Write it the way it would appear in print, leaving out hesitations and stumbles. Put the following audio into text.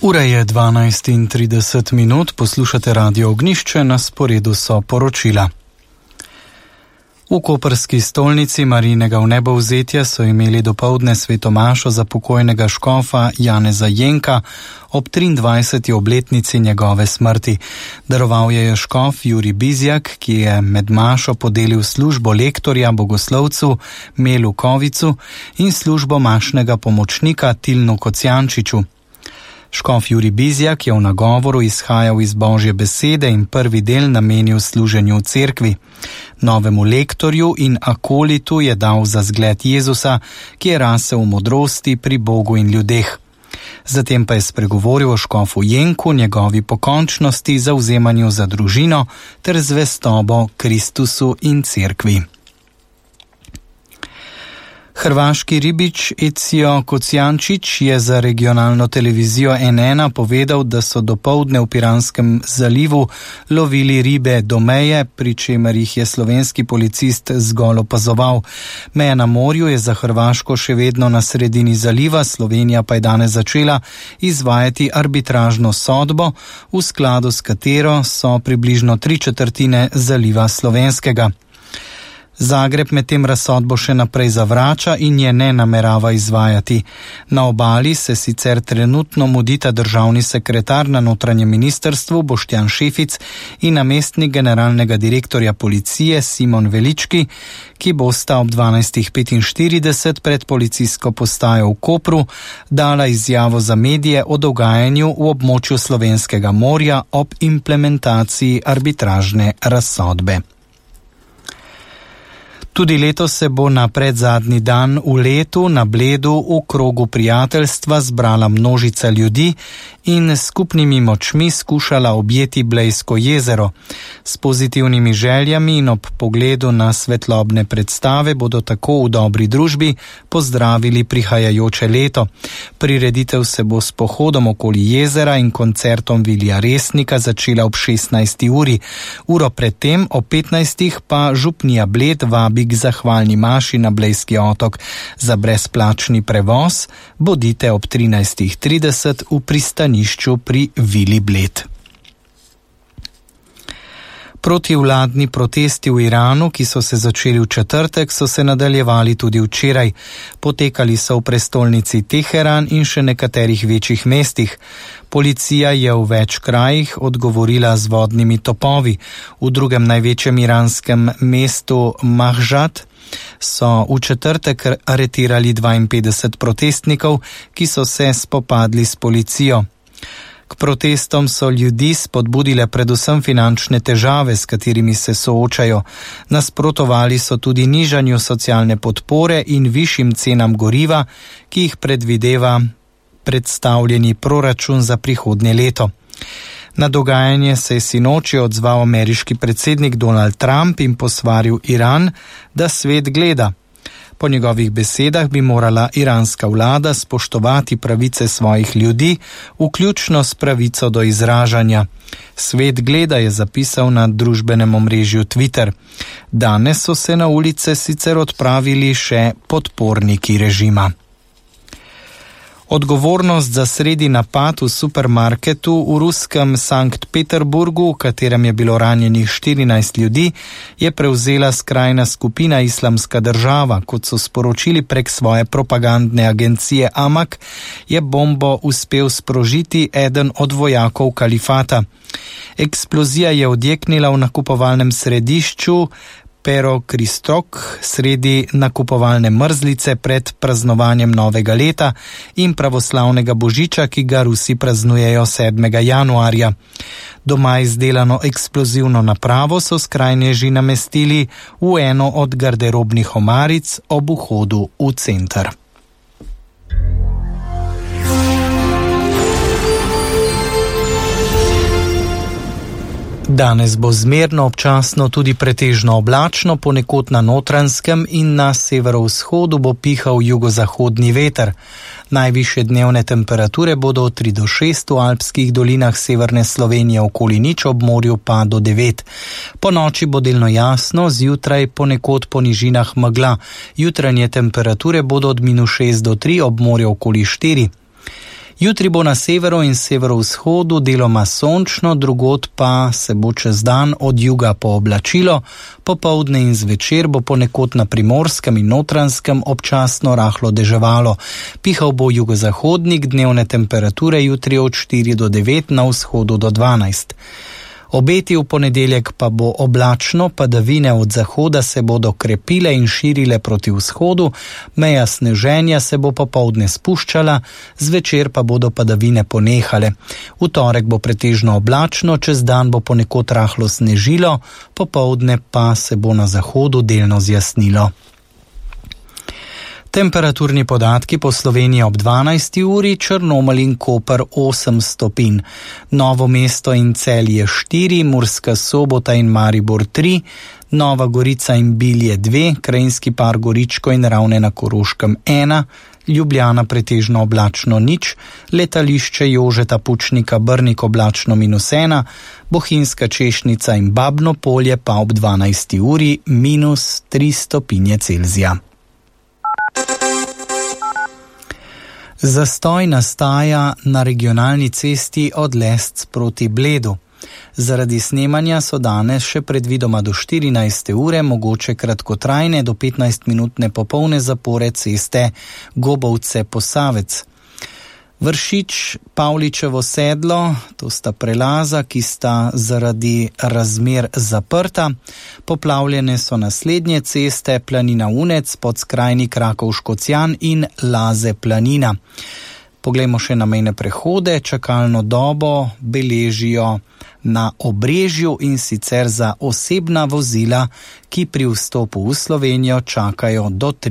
Ura je 12:30, poslušate Radio Ognjišče, na sporedu so poročila. V koprski stolnici Marijinega vnebovzetja so imeli dopoldne svetomašo za pokojnega škofa Janeza Jenka ob 23. obletnici njegove smrti. Daroval je škof Jurij Bizjak, ki je med mašo podelil službo lektorja bogoslovcu Melu Kovicu in službo mašnega pomočnika Tilnu Kocijančiču. Škof Jurij Bizjak je v nagovoru izhajal iz Božje besede in prvi del namenil služenju v cerkvi. Novemu lektorju in akolitu je dal za zgled Jezusa, ki je rasel v modrosti pri Bogu in ljudeh. Zatem pa je spregovoril o škofu Jenku, njegovi pokončnosti, zavzemanju za družino ter zvestobo Kristusu in cerkvi. Hrvaški ribič Ezio Kocijančič je za regionalno televizijo N1 povedal, da so dopoldne v Piranskem zalivu lovili ribe do meje, pri čemer jih je slovenski policist zgolj opazoval. Meja na morju je za Hrvaško še vedno na sredini zaliva, Slovenija pa je danes začela izvajati arbitražno sodbo, v skladu s katero so približno 3/4 zaliva slovenskega. Zagreb medtem razsodbo še naprej zavrača in je ne namerava izvajati. Na obali se sicer trenutno mudita državni sekretar na notranjem ministrstvu Boštjan Šefic in namestnik generalnega direktorja policije Simon Velički, ki bosta ob 12:45 pred policijsko postajo v Kopru dala izjavo za medije o dogajanju v območju Slovenskega morja ob implementaciji arbitražne razsodbe. Tudi letos se bo na predzadnji dan v letu na Bledu v krogu prijateljstva zbrala množica ljudi in s skupnimi močmi skušala objeti Blejsko jezero. S pozitivnimi željami in ob pogledu na svetlobne predstave bodo tako v dobri družbi pozdravili prihajajoče leto. Prireditev se bo s pohodom okoli jezera in koncertom Vilija Resnika začela ob 16. uri. Uro predtem ob 15. pa župnija Bled vabi k zahvalni maši na Blejski otok. Za brezplačni prevoz bodite ob 13:30 v pristanišču pri Vili Bled. Protivladni protesti v Iranu, ki so se začeli v četrtek, so se nadaljevali tudi včeraj. Potekali so v prestolnici Teheran in še nekaterih večjih mestih. Policija je v več krajih odgovorila z vodnimi topovi. V drugem največjem iranskem mestu Mahžad so v četrtek aretirali 52 protestnikov, ki so se spopadli s policijo. K protestom so ljudi spodbudile predvsem finančne težave, s katerimi se soočajo. Nasprotovali so tudi nižanju socialne podpore in višjim cenam goriva, ki jih predvideva predstavljeni proračun za prihodnje leto. Na dogajanje se je sinoči odzval ameriški predsednik Donald Trump in posvaril Iran, da svet gleda. Po njegovih besedah bi morala iranska vlada spoštovati pravice svojih ljudi, vključno s pravico do izražanja. Svet gleda, je zapisal na družbenem omrežju Twitter. Danes so se na ulice sicer odpravili še podporniki režima. Odgovornost za sredi napad v supermarketu v ruskem Sankt Peterburgu, v katerem je bilo ranjenih 14 ljudi, je prevzela skrajna skupina Islamska država. Kot so sporočili prek svoje propagandne agencije Amak, je bombo uspel sprožiti eden od vojakov kalifata. Eksplozija je odjeknila v nakupovalnem središču Pero Kristok sredi nakupovalne mrzlice pred praznovanjem novega leta in pravoslavnega božiča, ki ga Rusi praznujejo 7. januarja. Doma izdelano eksplozivno napravo so skrajneži namestili v eno od garderobnih omaric ob vhodu v center. Danes bo zmerno, občasno tudi pretežno oblačno, ponekod na Notranjskem in na severovzhodu bo pihal jugozahodni veter. Najvišje dnevne temperature bodo od 3 do 6 v alpskih dolinah severne Slovenije, okoli 0, ob morju pa do 9. Po noči bo delno jasno, zjutraj ponekod po nižinah megla. Jutranje temperature bodo od -6 do 3, ob morju okoli 4. Jutri bo na severu in severovzhodu deloma sončno, drugod pa se bo čez dan od juga pooblačilo, popoldne in zvečer bo ponekod na Primorskem in Notranjskem občasno rahlo deževalo. Pihal bo jugozahodnik, dnevne temperature jutri od 4 do 9, na vzhodu do 12. Obeti v ponedeljek pa bo oblačno, padavine od zahoda se bodo krepile in širile proti vzhodu, meja sneženja se bo popoldne spuščala, zvečer pa bodo padavine ponehale. V torek bo pretežno oblačno, čez dan bo ponekod rahlo snežilo, popoldne pa se bo na zahodu delno zjasnilo. Temperaturni podatki po Sloveniji ob 12. uri, Črnomelj in Koper 8 stopinj, Novo mesto in Celje 4, Murska Sobota in Maribor 3, Nova Gorica in Bilje 2, Krajinski par Goričko in Ravne na Koroškem 1, Ljubljana pretežno oblačno 0, Letališče Jožeta Pučnika Brnik oblačno -1, Bohinjska Češnica in Babno Polje pa ob 12. uri -3 stopinje Celzija. Zastoj nastaja na regionalni cesti od Lesc proti Bledu. Zaradi snemanja so danes še predvidoma do 14. ure mogoče kratkotrajne do 15-minutne popolne zapore ceste Gobovce-Posavec. Vršič, Pavličevo sedlo, to sta prelaza, ki sta zaradi razmer zaprta. Poplavljene so naslednje ceste, Planina Unec, Podskrajni Krakovško-Cjan in Laze Planina. Poglejmo še na mejne prehode. Čakalno dobo beležijo na Obrežju, in sicer za osebna vozila, ki pri vstopu v Slovenijo čakajo do 3